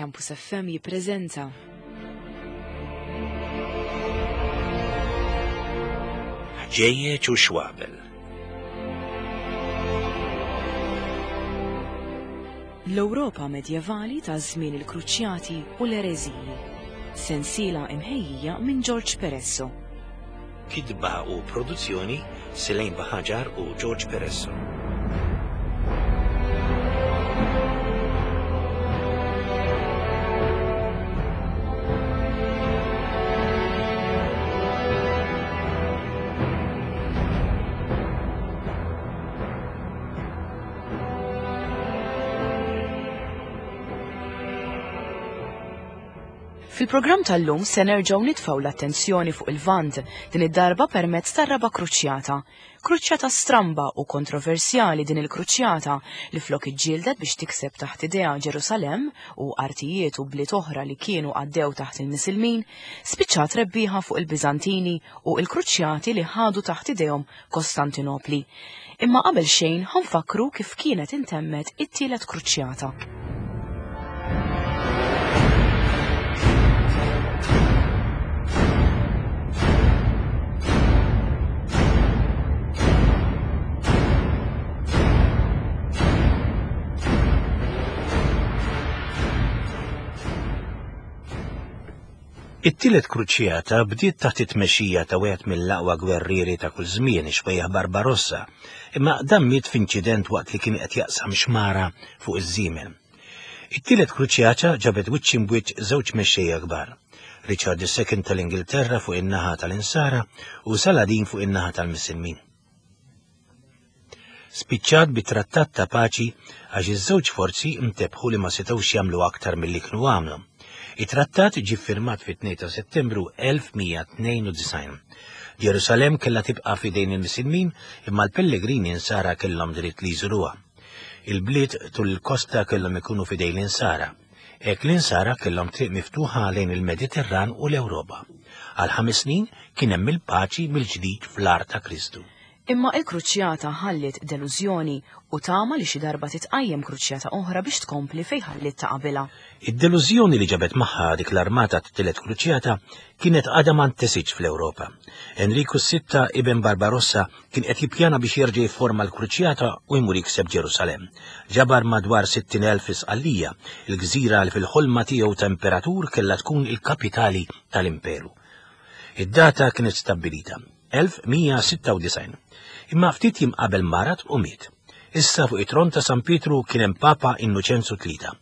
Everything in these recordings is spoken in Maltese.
Campus FM jippreżenta. Ħġejjeġ u xwabel. L-Ewropa medjevali ta' żmien il-Kruċjati u l-Ereżiji. Sensiela imħejjija minn George Peresso. Kitba u produzzjoni Selain Baħaġar u George Peresso. Fil-programm tal-lum se nerġgħu nitfgħu l-attenzjoni fuq il-Lvant, din id-darba permezz tar-raba' kruċjata. Kruċjata stramba u kontroversjali din il-kruċjata li flok iġġieldet biex tikseb taħt idejha Ġerusalemm u artijiet u bliet oħra li kienu għaddew taħt il-Misilmin, spiċċat rebbieħa fuq il-Biżantini u l-kruċjati li ħadu taħt idejhom Kostantinopli. Imma qabel xejn ħa nfakkru kif kienet intemmet it-tielet kruċjata. It-tielet kruċjata bdiet taħt it-tmexxija ta' wieħed mill-aqwa gwerrieri ta' kull żmien, ix-xwejjaħ Barbarossa, imma dan miet f'inċident waqt li kien qed jaqsam xmara fuq iż-żiemel. It-tielet kruċjata ġabet wiċċ imbwiċċ żewġ mexxejja kbar, Richard II tal-Ingilterra fuq in-naħa tal-Insara u Saladin fuq in-naħa tal-Misilmin. Spiċċat bi trattat ta' paċi għax iż-żewġ forzi mtebħu li ma setgħux jagħmlu aktar milli kienu għamlu. It-trattat ġie ffirmat fit-2 ta' Settembru 1192. Ġerusalemm kellha tibqa' f'idejn il-Misilmin imma l-pellegrini Insara kellhom dritt li jżuruha. Il-bliet tul il-kosta kellhom ikunu f'idejn l-Insara. Hekk l-Insara kellhom triq miftuħa lejn il-Mediterran u l-Ewropa. Għal ħames snin kien hemm il-paċi mill-ġdid fl-art ta' Kristu. Imma il-kruċjata ħalliet delużjoni u tama li xi darba titqajjem kruċjata oħra biex tkompli fejn ħalliet ta' qabilha. Id-delużjoni li ġabet magħha dik l-armata tat-tielet kruċjata kienet għadha ma ntesitx fl-Ewropa. Enriku s-Sitta, iben Barbarossa, kien qed jippjana biex jerġa' jifforma l-kruċjata u jmur jikseb Ġerusalemm. Ġabar madwar 60,000 fi Sqallija, il-gżira li fil-ħolma tiegħu ta' imperatur kellha tkun il-kapitali tal-imperu. Id-data kienet stabbilita. 1196. Imma ftit jiem qabel marad u miet. Issa fuq it-tron ta' San Pietru kien hemm Papa Innoċenzu Tlieta,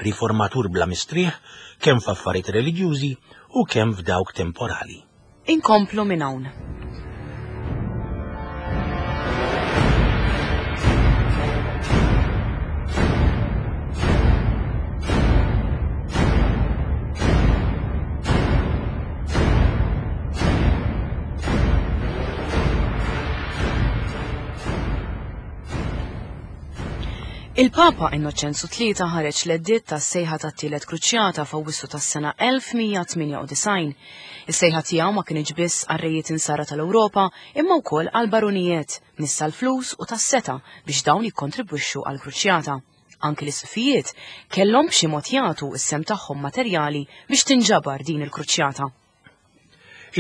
riformatur bla mistrieħ kemm f'affarijiet reliġjużi u kemm f'dawk temporali. Inkomplu minn hawn. Il-Papa Innoċenzu Tlieta ħareġ l-edditt tas-sejħa tat-tielet kruċjata f'Awwissu tas-sena 1198. Is-sejħa tiegħu ma kinitx biss għar-rejiet insara tal-Ewropa imma wkoll għall-barunijiet, nies tal-flus u tas-setgħa biex dawn jikkontribwixxu għall-kruċjata. Anki l-isqfijiet kellhom b'xi mod jagħtu s-sehem tagħhom materjali biex tinġabar din il-kruċjata.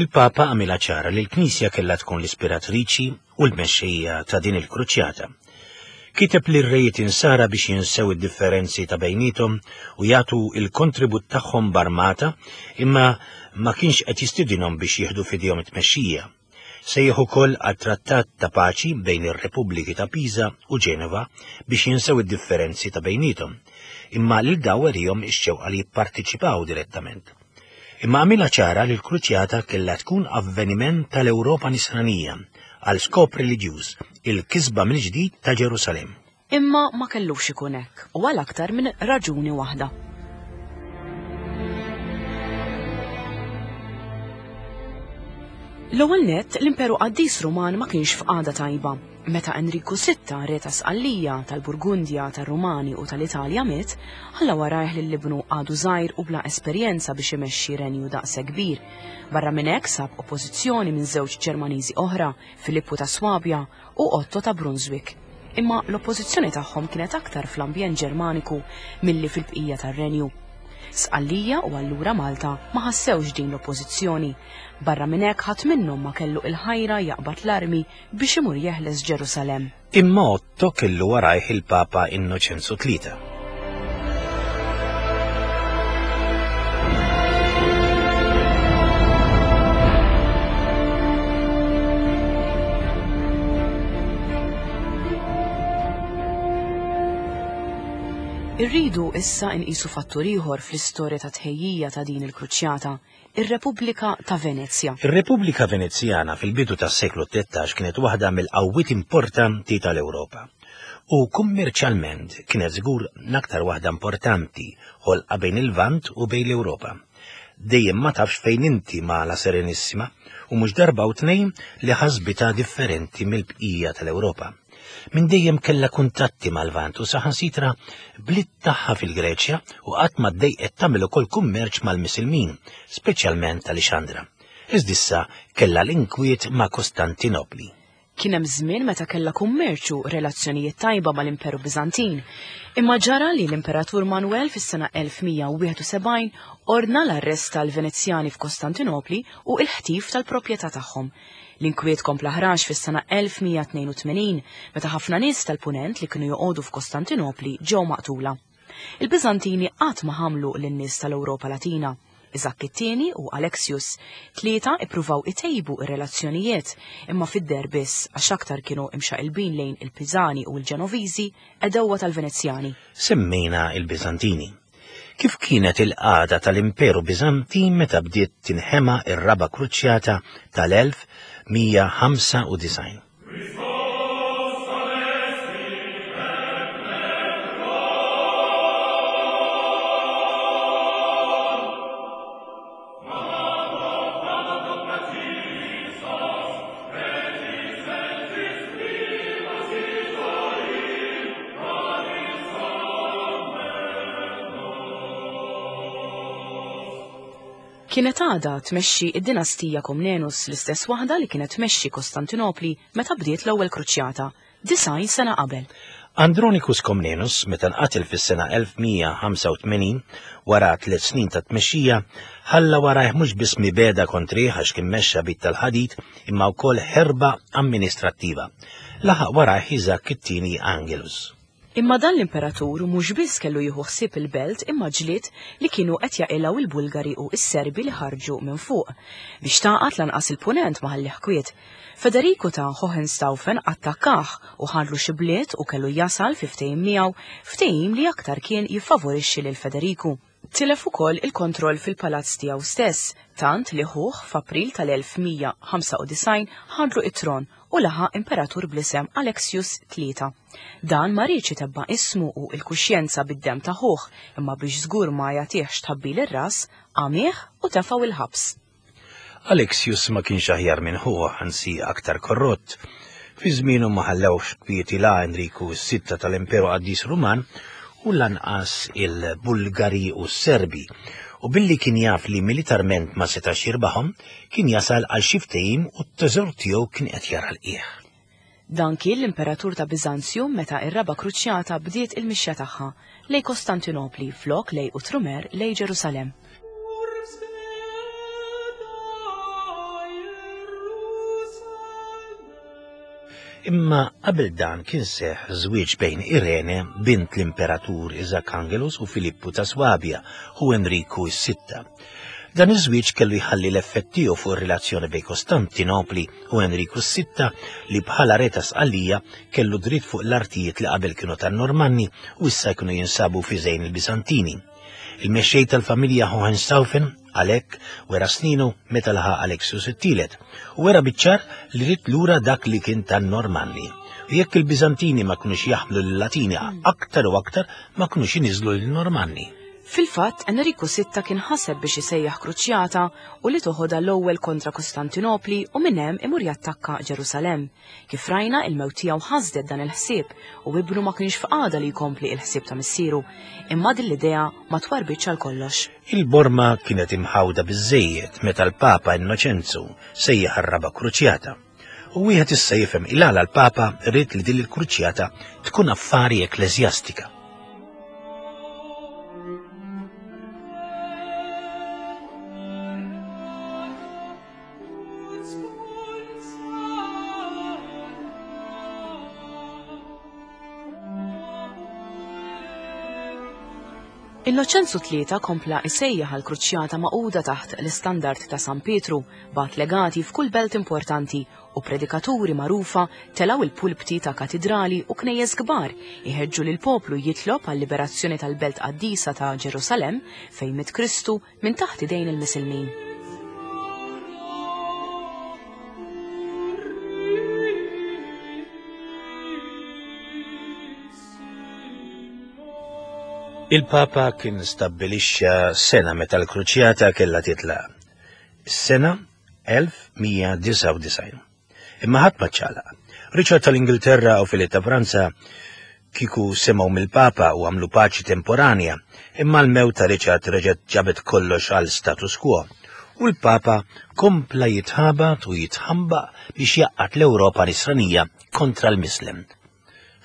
Il-Papa għamilha ċara li l-Knisja kellha tkun l-ispiratriċi u l-mexxejja ta' din il-kruċjata. Kiteb lir-rejiet insara biex jinsew id-differenzi ta' bejniethom u jagħtu l-kontribut tagħhom b'armata imma ma kienx qed jistidinhom biex jieħdu f'idejhom it-tmexxija. Sejjaħ ukoll għal trattat ta' paċi bejn ir-Repubbliki ta' Pisa u Ġenova biex jinsew id-differenzi ta' bejniethom, imma lil daw werihom ix-xewqa li jipparteċipaw direttament. Imma għamilha ċara li l-kruċjata kellha tkun avveniment tal-Ewropa Nisranija għal skop reliġjuż, il-kisba mill-ġdid ta' Ġerusalemm. Imma ma kellux ikun hekk, u għal aktar minn raġuni waħda. L-ewwel nett, l-Imperu Qaddis Ruman ma kienx f'qagħda tajba. Meta Enriku Sitta, re ta' Sqallija, tal-Burgundja, tar-Rumani u tal-Italja miet, ħalla warajh lil ibnu għadu żgħir u bla esperjenza biex imexxi renju daqshekk kbir. Barra minn hekk sab oppożizzjoni minn żewġ Ġermaniżi oħra, Filippu ta' Swabja u Otto ta' Brunswick. Imma l-oppożizzjoni tagħhom kienet aktar fl-ambjent Ġermaniku milli fil-bqija tar-renju. Sqallija u allura Malta ma ħassewx din l-oppożizzjoni. Barra minn hekk ħadd minnhom ma kellu il-ħajra jaqbad l-armi biex imur jeħles Ġerusalemm. Imma Otto kellu warajh il-Papa Innoċenzu Tlieta. Irridu issa nqisu fattur ieħor fl-istorja ta' tħejjija ta' din il-kruċjata, ir-Repubblika ta' Venezja. Ir-Repubblika Venezjana fil-bidu tas-seklu 13 kienet waħda mill-qawwiet importanti tal-Ewropa. U kummerċjalment kienet żgur l-aktar waħda importanti ħolqa bejn il-Lvant u bejn l-Ewropa. Dejjem ma tafx fejn inti ma' La Serenissima u mhux darba u tnejn li ħasbitha differenti mill-bqija tal-Ewropa. Minn dejjem kellha kuntatti mal-Lvant u saħansitra bliet tagħha fil-Greċja u qatt ma ddejqet tagħmel ukoll kummerċ mal-Misilmin, speċjalment Alexandra. Iżda issa kellha l-inkwiet ma' Kostantinopli. Kien hemm żmien meta kellha kummerċ u relazzjonijiet tajba mal-Imperu Biżantin. Imma ġara li l-Imperatur Manuel fis-sena 1171 ordna l-arrest tal-Venezjani f'Kostantinopli u l-ħtif tal-proprjetà tagħhom. L-inkwiet kompla ħrax fis-sena 1182 meta ħafna nies tal-Punent li kienu joqogħdu f'Kostantinopli ġew maqtula. Il-Biżantini qatt ma ħamlu lin-nies tal-Ewropa Latina. Iżakk it-tieni u Alexius tlieta ippruvaw itejbu r-relazzjonijiet imma fid-deher biss għax aktar kienu imxaqilbin lejn il-Piżani u l-Ġenoviżi għedewwa tal-Venezjani. Semmejna l-Biżantini. Kif kienet il-qagħda tal-Imperu Biżantin meta bdiet tinħema r-Raba' Kruċjata tal-1195? Kienet għadha tmexxi d-dinastija Komnenus, l-istess waħda li kienet tmexxi Kostantinopli meta bdiet l-ewwel kruċjata, 90 sena qabel. Andronikus Komnenus, meta nqatel fis-sena 1185, wara tliet snin ta' tmexxija, ħalla warajh mhux biss mibegħda kontrih għax kien mexxa b'id tal-ħadid, imma wkoll ħerba amministrattiva. Laħaq warajh Iżakk it-tieni Angelus. Imma dan l-imperatur mhux biss kellu jieħu ħsieb il-belt imma ġlied li kienu qed jaqilgħu l-Bulgari u s-Serbi li ħarġu minn fuq. Biex tagħqad lanqas il-Punent ma ħallih kwiet. Federiku ta' Hohenstaufen attakkah u ħadlu xi bliet u kellu jasal fi ftehim miegħu, ftehim li aktar kien jiffavorixxi lil Federiku. Tilef ukoll il-kontroll fil-palazz tiegħu stess, tant li ħuh f'April tal-1195 ħadlu t-tron u laħaq imperatur bl-isem Alexius Tlieta. Dan ma riedx itebba' ismu u l-kuxjenza bid-demm ta' ħuh, imma biex żgur ma jagħtihx tħabbil ir-ras, għamieh u tefgħu l-ħabs. Alexius ma kienx aħjar minn ħuh, anzi aktar korrott. Fi żmienu ma ħallewx kwieti la Enriku s-Sitta tal-Imperu Qaddis Ruman u lanqas il-Bulgari u s-Serbi, u billi kien jaf li militarment ma setax jirbaħhom, kien jasal għal xi ftehim u t-teżor tiegħu kien qed jara l-qiegħ. Dan kien l-Imperatur ta' Biżanzju meta r-Raba' Kruċjata bdiet il-mixja tagħha, lejn Kostantinopli flok lejn Outremer lejn Ġerusalemm. Imma qabel dan kien seħħ żwieġ bejn Irene, bint l-Imperatur Iżakk Angelus u Filippu ta' Swabja u Enriku s-Sitta. Dan iż-żwieġ kellu jħalli l-effett tiegħu fuq ir-relazzjoni bejn Kostantinopli u Enriku s-Sitta li bħala re ta' Sqallija kellu dritt fuq l-artijiet li qabel kienu tan-Normanni u issa jkunu jinsabu f'idejn il-Biżantini. Il-mexxej tal-familja Hohenstaufen għalhekk wera sninu meta laħaq Alexius it-tielet u wera biċ-ċar li ried lura dak li kien tan-Normanni. U jekk il-Biżantini ma kinux jaħmlu lil-Latini aktar u aktar ma kinux iniżlu lin-Normanni. Fil-fatt, Enriku Sitta kien ħaseb biex isejjaħ kruċjata u li toħodha l-ewwel kontra Kostantinopli u minn hemm imur jattakka Ġerusalemm. Kif rajna, il-mewt tiegħu ħasdet dan il-ħsieb u ibnu ma kienx f'qagħda li jkompli il-ħsieb ta' missieru. Imma din l-idea ma twarrbitx għal kollox. Il-borma kienet imħawda biżżejjed meta l-Papa Innoċenzu sejjaħ ar-Raba' Kruċjata. U wieħed issa jifhem il-għala l-Papa ried li din il-kruċjata tkun affari ekkleżjastika. Innoċenzu Tlieta kompla isejjaħ għal kruċjata magħquda taħt l-istandard ta' San Pietru, bagħat legati f'kull belt importanti u predikaturi magħrufa telgħu il-pulpti ta' katidrali u knejjes kbar iħeġġu lill-poplu jitlob għal-liberazzjoni tal-belt qaddisa ta' Ġerusalemm fejn miet Kristu minn taħt idejn il-Misilmin. Il-Papa kien stabbilixxa sena meta l-kruċjata kellha titlaq. Is-sena 1199. Imma ħadd ma ċċaqlaq. Richard tal-Ingilterra u Filip ta' Franza kieku semgħu mill-Papa u għamlu paċi temporanja, imma l-mewt ta' Richard reġgħet ġabet kollox għal status quo. U l-Papa kompla jitħabat u jitħambaq biex jgħaqqad l-Ewropa nisranija kontra l-Mislem.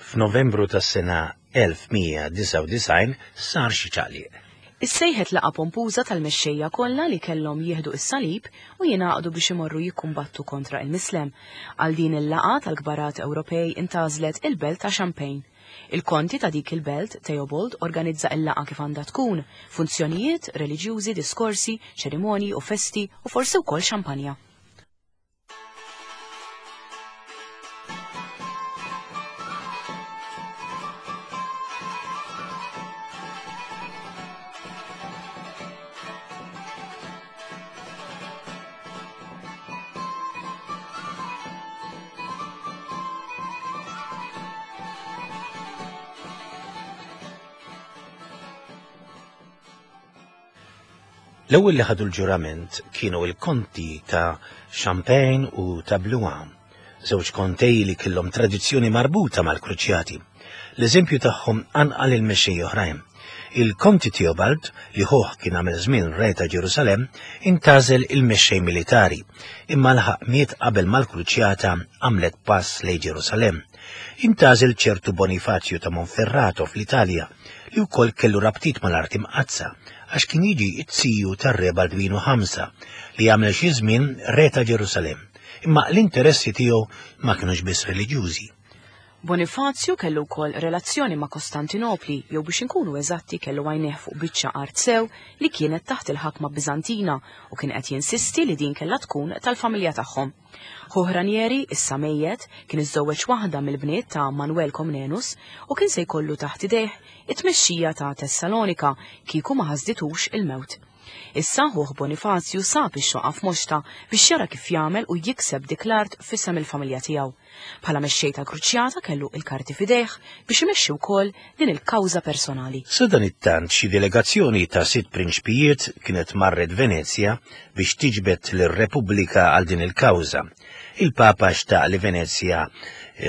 F'Novembru tas-sena 1199 sar xi ċaqliq. Issejħet laqgħa pompuża tal-mexxejja kollha li kellhom jieħdu s-salib u jingħaqdu biex imorru jikkumbattu kontra il-Mislem. Għal din il-laqgħa tal-kbarat Ewropej intgħażlet il-belt ta' Champagne. Il-konti ta' dik il-belt, Theobald, organizza il-laqgħa kif għandha tkun, funzjonijiet, reliġjużi, diskorsi, ċerimonji u festi u forsi wkoll xampanja. L-ewwel li ħadu l-ġurament kienu l-konti ta' Champagne u ta' Blois, żewġ kontej li kellhom tradizzjoni marbuta mal-Kruċjati. L-eżempju tagħhom qanqal il-mexxej oħrajn. Il-Konti Theobald, li ħuh kien għamel żmien re ta' Ġerusalemm, intgħażel il-mexxej militari, imma laħaq miet qabel ma l-Kruċjata għamlet pass lejn Ġerusalemm. Intgħażel ċertu Bonifazju ta' Monferrato fl-Italja, li wkoll kellu rabtiet mal-Art Imqaddsa, għax kien jiġi t-ziju tar-Re Baldwinu Ħamsa, li għamel xi żmien re ta' Ġerusalemm. Imma l-interessi tiegħu ma kinux biss reliġjużi. Bonifazju kellu wkoll relazzjoni ma' Kostantinopli, jew biex inkunu eżatti kellu għajnejh fuq biċċa art sew li kienet taħt il-ħakma Biżantina u kien qed jinsisti li din kellha tkun tal-familja tagħhom. Ħuh Ranieri, issa mejjet, kien iżżewweġ waħda mill-bniet ta' Manuel Comnenus u kien se jkollu taħt idejh it-tmexxija ta' Tessalonika kieku ma ħasditux il-mewt. Issa ħuh Bonifazju sab ix-xoqa f'moxtha biex jara kif jagħmel u jikseb dik l-art f'isem il-familja tiegħu. Bħala mexxej tal-kruċjata kellu il-karti f'idejh biex imexxi wkoll din il-kawża personali. Sadanittant xi delegazzjoni ta' sitt prinċpijiet kienet marret Venezja biex tiġbed lir-Repubblika għal din il-kawża. Il-Papa xtaq li Venezja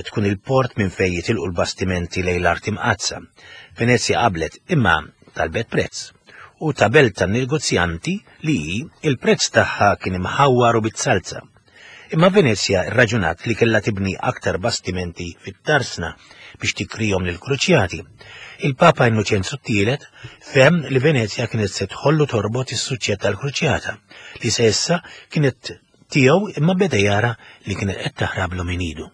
tkun il-port minn fejn jitilqu l-bastimenti lejn l-Art Imqaddsa. Venezja qablet, imma talbet prezz. U ta' belt tan-negozjanti li hi, il-prezz tagħha kien imħawwar u bit-salza. Imma Venezja rraġunat li kellha tibni aktar bastimenti fit-tarsna biex tikrihom lill-kruċjati. Il-Papa Innoċenzu t-Tielet fehem li Venezja kienet se tħollu torbot is-suċċett tal-kruċjata, li se issa kienet tiegħu imma beda jara li kienet qed taħrablu minn idu.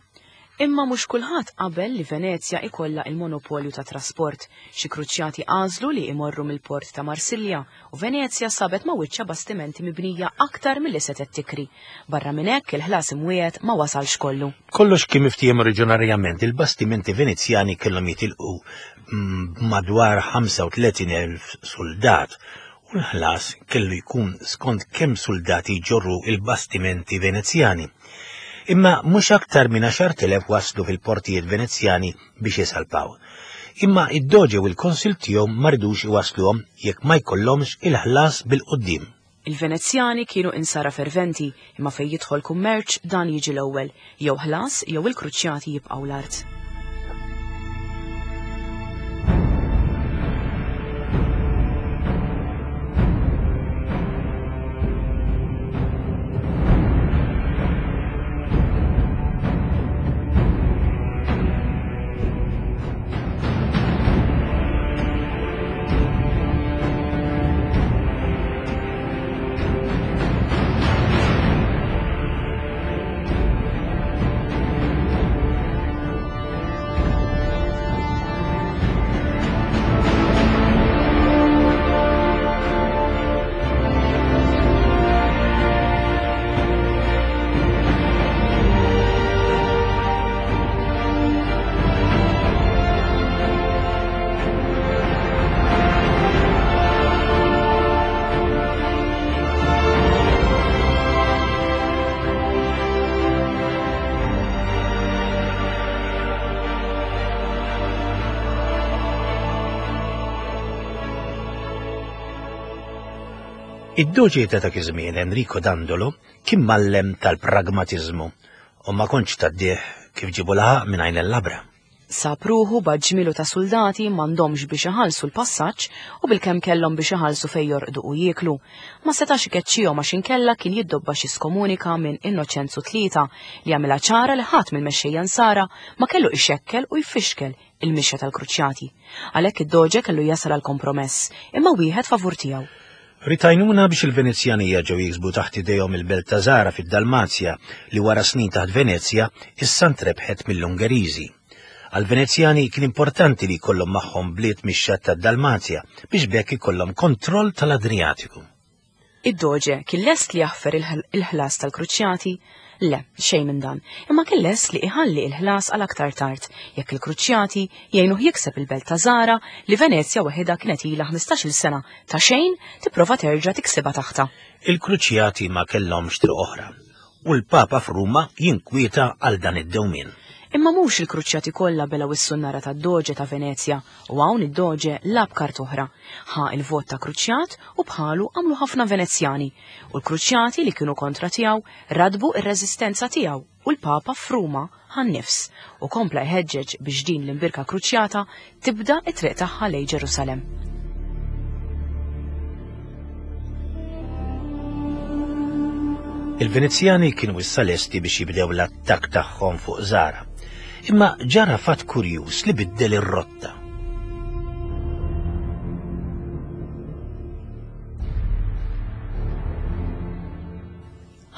Imma mhux kulħadd qabel li Venezja ikollha il-monopolju ta' trasport. Xi kruċjati għażlu li imorru mill-port ta' Marsilja u Venezja sabet ma' wiċċha bastimenti mibnija aktar milli setgħet tikri. Barra minn hekk il-ħlas imwiegħed ma wasalx kollu. Kollox kien miftiehem oriġinarjament, il-bastimenti Venezjani kellhom jitilqu b'madwar 35,000 suldat u l-ħlas kellu jkun skont kemm suldati jġorru il-bastimenti Venezjani. Imma mhux aktar minn 10,000 waslu fil-portijiet Venezjani biex isalpaw. Imma id-doġe u l-konsil tiegħu ma ridux iwassluhom jekk ma jkollhomx il-ħlas bil-quddiem. Il-Venezjani kienu insara ferventi, imma fejn jidħol kummerċ dan jiġi l-ewwel, jew ħlas jew il-kruċjati jibqgħu l-art. Id-doġi ta' dak iż-żmien Enrico Dandolo kien mallem tal-pragmatiżmu u ma kontx tgħaddih kif ġibu laħaq minn għajn il-labra. Sab ruħu b'għadd ġmielu ta' suldati m'għandhomx biex iħallsu l-passaġġ u bilkemm kellhom biex iħallsu fejn jorqdu u jieklu. Ma setax ikeċċihom għax inkella kien jiddobba xi skomunika minn Innoċenzu Tlieta li għamilha ċara li ħadd mill-mexxejja Nsara ma kellu ixekkel u jfixkel il-mixja tal-Kruċjati. Għalhekk id-Doġe kellu jasal għal kompromess, imma wieħed favur tiegħu. Ried għajnuna biex il-Venezjani jerġgħu jiksbu taħt idejhom il-belt ta' Zara fid-Dalmazja li wara snin taħt Venezja issa ntrebħet mill-Ungeriżi. Għall-Venezjani kien importanti li jkollhom magħhom bliet mix-xatt tad-Dalmazja biex b'hekk ikollhom kontroll tal-Adrijatiku. Id-Doġe kien lest li jaħfer il-ħlas tal-Kruċjati? Le, xejn minn dan. Imma kien lest li iħalli il-ħlas għal aktar tard, jekk il-Kruċjati jgħinuh jikseb il-belt ta' Zara li Venezja waħidha kienet ilha 15-il sena ta' xejn tipprova terġa' tiksibha taħtha. Il-Kruċjati ma kellhomx triq oħra, u l-Papa f'Ruma jinkwieta għal dan id-dewmien. Imma mhux il-Kruċjati kollha belgħu s-sunnara tad-Doġe ta' Venezja u hawn id-Doġe lagħab kart oħra. Ħa il-vot ta' Kruċjat u bħalu għamlu ħafna Venezjani, u l-Kruċjati li kienu kontra tiegħu radbu r-reżistenza tiegħu u l-Papa f'Ruma ħa n-nifs u kompla jħeġġeġ biex din l-imbirka Kruċjata tibda t-triq tagħha lejn Ġerusalemm. Il-Venezjani kienu issa lesti biex jibdew l-attakk tagħhom fuq Zara. Imma ġara fatt kurjuż li biddel ir-rotta.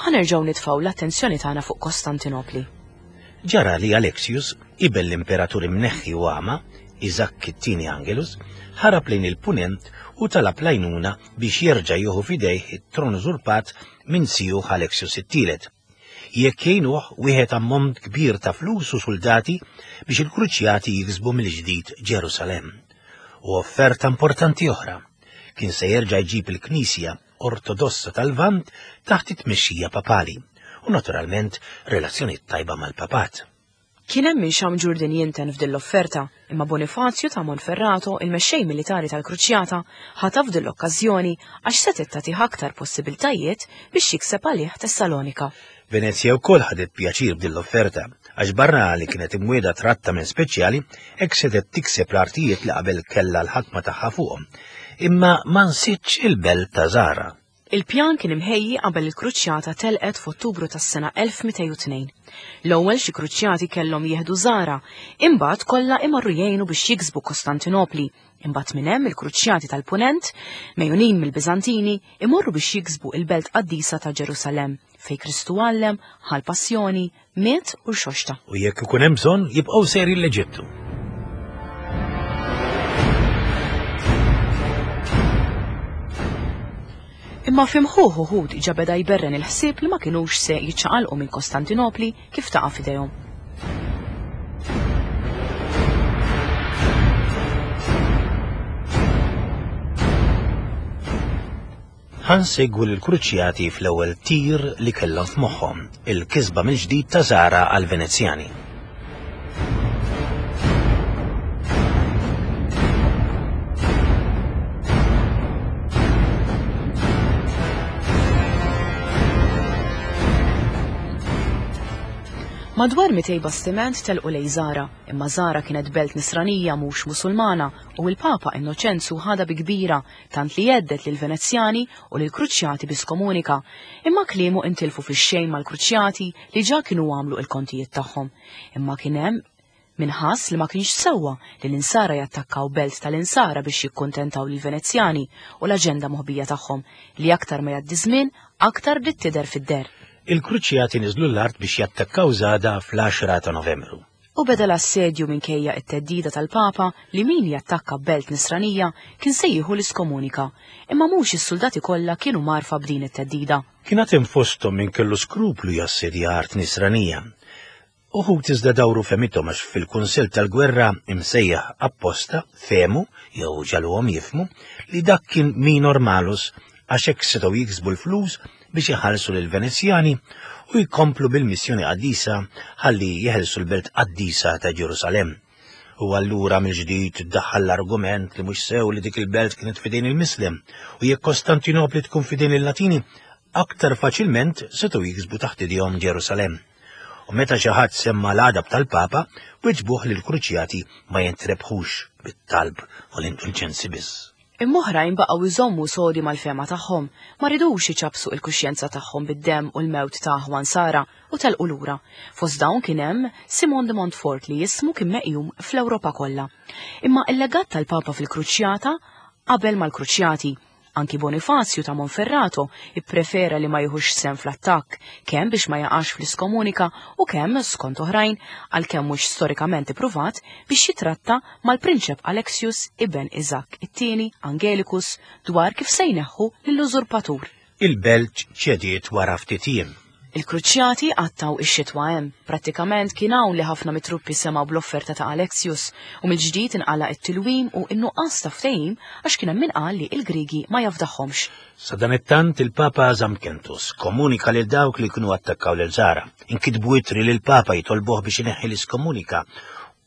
Ħa nerġgħu nitfgħu l-attenzjoni tagħna fuq Kostantinopli. Ġara li Alexius, iben l-imperatur imneħħi u għama, Iżakk it-tieni Angelus, ħarab lejn il-punent u talab l-għajnuna biex jerġa' jieħu f'idejh it-tron użurpat minn zijuh Alexius it-tielet. Jekk jgħinuh wieħed ammont kbir ta' flus u suldati biex il-Kruċjati jiksbu mill-ġdid Ġerusalemm. U offerta importanti oħra, kien se jerġa' jġib il-Knisja Ortodossa tal-Lvant taħt it-tmexxija papali u naturalment relazzjonijiet tajba mal-Papat. Kien hemm min xamm ġurdien jinten f'din l-offerta, imma Bonifazju ta' Monferrato, il-mexxej militari tal-Kruċjata, ħataf din l-okkażjoni għax setgħet tagħtih aktar possibiltajiet biex jikseb għalih Tessalonika. Venezja wkoll ħadet pjaċir b'din l-offerta, għax barra li kienet imwiegħda trattament speċjali, hekk setgħet tikseb l-artijiet li qabel kellha l-ħakma tagħha fuqhom. Imma ma nsitx il-belt ta' Zara. Il-pjan kien imħejji qabel il-Kruċjata telqet f'Ottubru tas-sena 1202. L-ewwel xi Kruċjati kellhom jieħdu Zara, imbagħad kollha imorru jgħinu biex jiksbu Kostantinopli, imbagħad minn hemm il-Kruċjati tal-Punent, megħjunin mill-Biżantini, imorru biex jiksbu il-belt qaddisa ta' Ġerusalemm, fejn Kristu għallem, ħa l-passjoni, miet u rxoxta. U jekk ikun hemm bżonn jibqgħu sejrin l-Eġittu. Imma fi mħuħ uħud ġa beda jberren il-ħsieb li ma kinux se jiċċaqalqu minn Kostantinopli kif taqa' f'idejhom. Ħa nsegwu lill-Kruċjati fl-ewwel tir li kellhom f'moħħhom, il-kisba mill-ġdid ta' Zara għall-Venezjani. Madwar 200 bastiment telqu lejn Zara, imma Zara kienet belt Nisranija mhux Musulmana u l-Papa Innoċenzu ħadha bi kbira tant li jhedded lill-Venezjani u lill-Kruċjati bi skomunika, imma kliemu intilfu fix-xejn mal-Kruċjati li ġa kienu għamlu il-kontijiet tagħhom. Imma kien hemm min ħass li ma kienx sewwa li l-Insara jattakkaw belt tal-Insara biex jikkuntentaw lill-Venezjani u l-aġenda moħbija tagħhom li aktar ma jgħaddi żmien aktar bdiet tidher fid-deher. Il-Kruċjati niżlu l-art biex jattakkaw Zada fl-10 ta' Novembru. U beda l-assedju minkejja t-theddida tal-Papa li min jattakka belt Nisranija kien se jieħu l-iskomunika. Imma mhux is-suldati kollha kienu mgħarrfa b'din it-theddida. Kien għad hemm fosthom min kellu skruplu jassedja art Nisranija. Uħud iżda dawru fehmithom għax fil-kunsill tal-gwerra imsejjaħ apposta fehmu, jew ġagħluhom jifhmu, li dak kien minor malus għax hekk setgħu jiksbu l-flus biex iħallsu lill-Venezjani u jkomplu bil-missjoni qaddisa ħalli jeħilsu l-belt qaddisa ta' Ġerusalemm. U allura mill-ġdid iddaħħal l-argument li mhux sew li dik il-belt kienet f'idejn il-Mislem u jekk Kostantinopli tkun f'idejn il-Latini, aktar faċilment setgħu jiksbu taħt idejhom Ġerusalemm. U meta xi ħadd semma l-għadab tal-Papa, wiġbuh li l-Kruċjati ma jintrebħux bit-talb u l-indulġenzi biss. Imma oħrajn baqgħu jżommu sodi mal-fehma tagħhom, ma ridux iċappsu il-kuxjenza tagħhom bid-demm u l-mewt ta' aħwa Nsara u telqu lura. Fost dawn kien hemm Simon de Montfort li ismu kien meqjum fl-Ewropa kollha. Imma il-legat tal-Papa fil-Kruċjata qabel mal-Kruċjati. Anki Bonifazju ta' Monferrato ipprefera li ma jieħux sehem fl-attakk, kemm biex ma jaqax fl-iskomunika u kemm, skont oħrajn, għalkemm mhux storikament ippruvat, biex jitratta mal-Prinċep Alexius iben Iżakk it-Tieni Angelicus dwar kif se jneħħu lill-użurpatur. Il-belt ċediet wara ftit jiem. Il-Kruċjati qattgħu x-xitwa hemm. Prattikament kien hawn li ħafna mit-truppi semgħu bl-offerta ta' Alexius u mill-ġdid inqala' t-tilwim u n-nuqqas ta' ftehim għax kien hemm min qal li l-Griegi ma jafdahomx. Sadanittant il-Papa żamm Kentus, komunika lil dawk li kienu attakkaw lil Zara. Inkitbu ittri lill-Papa jitolbuh biex ineħħi l-iskomunika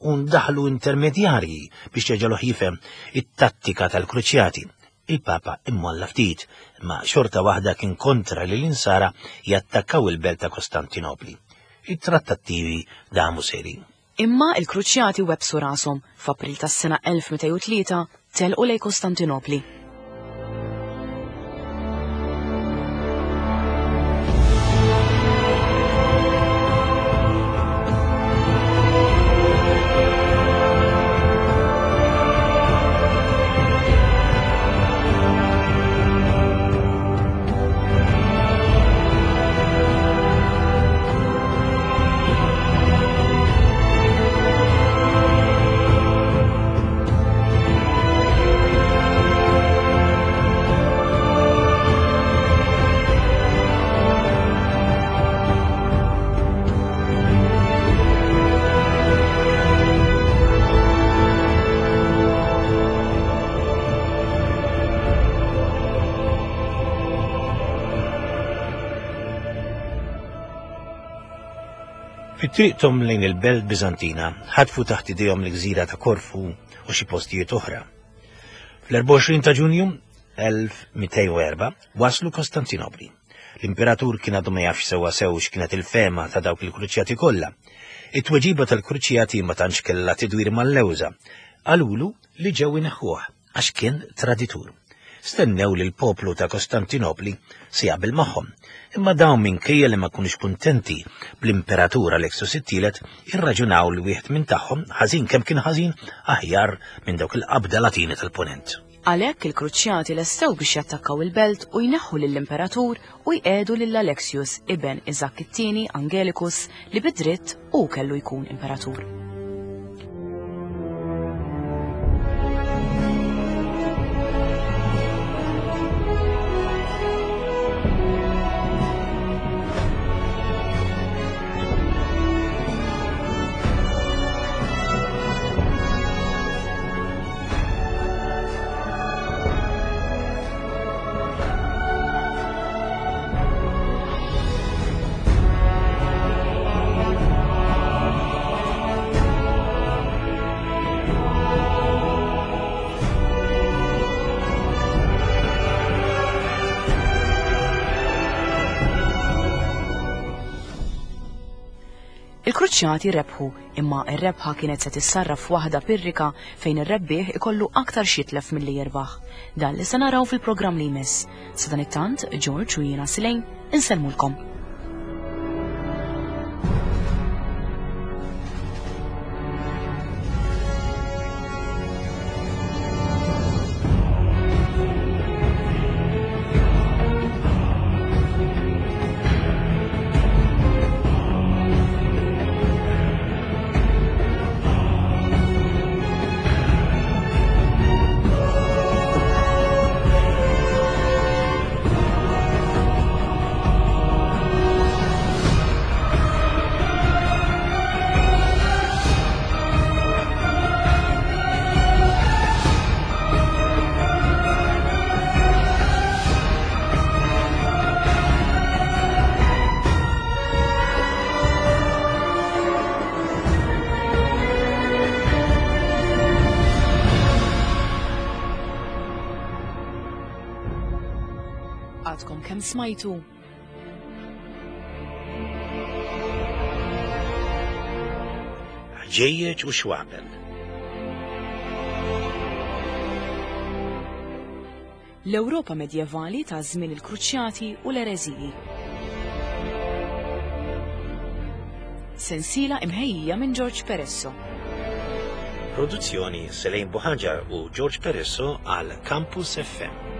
u ndaħlu intermedjarji biex jeġaluh jifhem it-tattika tal-Kruċjati. Il-Papa immolla ftit, imma xorta waħda kien kontra li l-Insara jattakkaw il-belt ta' Kostantinopli. It-trattattivi damu sejrin. Imma il-Kruċjati webbsu rashom, f'April tas-sena 1203 telqu lejn Kostantinopli. Fi triqthom lejn il-belt Biżantina, ħatfu taħt idejhom l-gżira ta' Korfu u xi postijiet oħra. Fl-24 ta' Ġunju 1204 waslu Kostantinopli. L-imperatur kien għadu ma jafx sewwa sew x'kienet il-fehma ta' dawk il-kruċjati kollha. It-tweġiba tal-kruċjati ma tantx kellha tidwir mal-lewża. Qalulu li ġew ineħħuh għax kien traditur. Stennew li l-poplu ta' Kostantinopli se jaqbel magħhom. Imma dawn minkejja li ma kunux kuntenti bl-imperatur Alexios it-tielet, irraġunaw li wieħed minn tagħhom, ħażin kemm kien ħażin, aħjar minn dawk il-qabda Latini tal-Punent. Għalhekk il-Kruċjati lestew biex jattakkaw il-belt u jneħħu lill-imperatur u jqiegħdu lil Alexius, iben Iżakk it-Tieni, Angelicus, li bi dritt hu kellu jkun imperatur. Il-Kruċjati rebħu, imma r-rebħa kienet se tissarraf f'waħda pirrika fejn ir-rebbieħ ikollu aktar x'jitlef milli jirbaħ. Dan li se naraw fil-programm li jmiss. Sadanittant, George u jiena Silejn insellmulkom. Għadkom kemm smajtu Ħġejjeġ u xwabel. L-Ewropa medjevali ta' żmien il-Kruċjati u l-Ereżiji. Sensiela imħejjija minn George Peresso. Produzzjoni Selejn Buħaġar u George Peresso għal Campus FM.